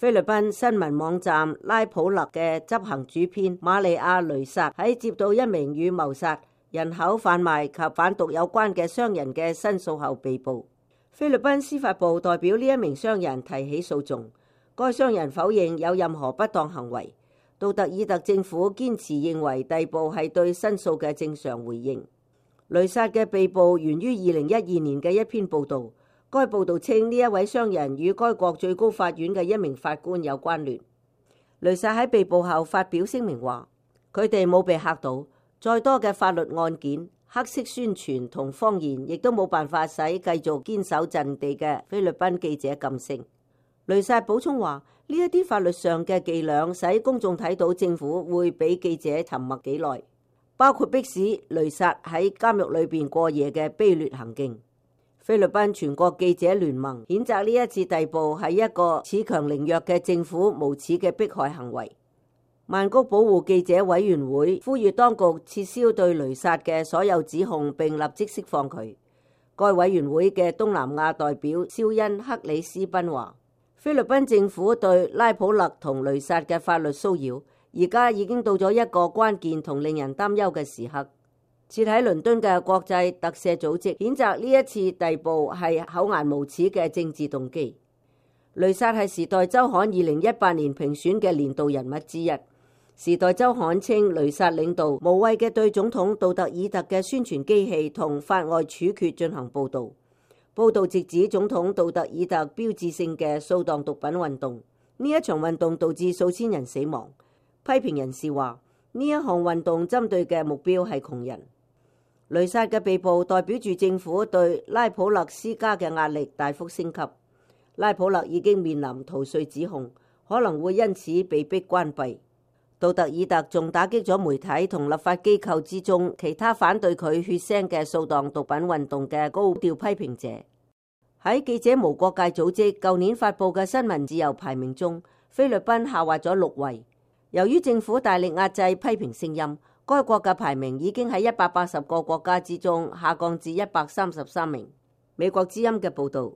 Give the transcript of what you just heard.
菲律賓新聞網站拉普勒嘅執行主編瑪利亞雷薩喺接到一名與謀殺、人口販賣及販毒有關嘅商人嘅申訴後被捕。菲律賓司法部代表呢一名商人提起訴訟，該商人否認有任何不當行為。杜特爾特政府堅持認為逮捕係對申訴嘅正常回應。雷薩嘅被捕源於2012年嘅一篇報導。該報道稱呢一位商人與該國最高法院嘅一名法官有關聯。雷薩喺被捕後發表聲明話，佢哋冇被嚇到，再多嘅法律案件、黑色宣傳同謊言，亦都冇辦法使繼續堅守陣地嘅菲律賓記者噤聲。雷薩補充話，呢一啲法律上嘅伎倆使公眾睇到政府會俾記者沉默幾耐，包括迫使雷薩喺監獄裏邊過夜嘅卑劣行徑。菲律賓全國記者聯盟譴責呢一次逮捕係一個恃強凌弱嘅政府無恥嘅迫害行為。曼谷保護記者委員會呼籲當局撤銷對雷薩嘅所有指控，並立即釋放佢。該委員會嘅東南亞代表肖恩克里斯賓話，菲律賓政府對拉普勒同雷薩嘅法律騷擾，而家已經到咗一個關鍵同令人擔憂嘅時刻。設喺倫敦嘅國際特赦組織譴責呢一次逮捕係厚顏無恥嘅政治動機。雷薩係時代週刊2018年評選嘅年度人物之一。時代週刊稱雷薩領導無謂嘅對總統杜特爾特嘅宣傳機器同法外處決進行報導。報導直指總統杜特爾特標誌性嘅掃蕩毒品運動，呢一場運動導致數千人死亡。批評人士話，呢一項運動針對嘅目標係窮人。雷薩嘅被捕代表住政府對拉普勒施加嘅壓力大幅升級。拉普勒已經面臨逃稅指控，可能會因此被迫關閉。杜特爾特仲打擊咗媒體同立法機構之中其他反對佢血腥嘅掃蕩毒品運動嘅高調批評者。喺記者無國界組織舊年發佈嘅新聞自由排名中，菲律賓下滑咗6位。由於政府大力壓制批評聲音，該國嘅排名已經喺180個國家之中下降至133名。美國之音嘅報導。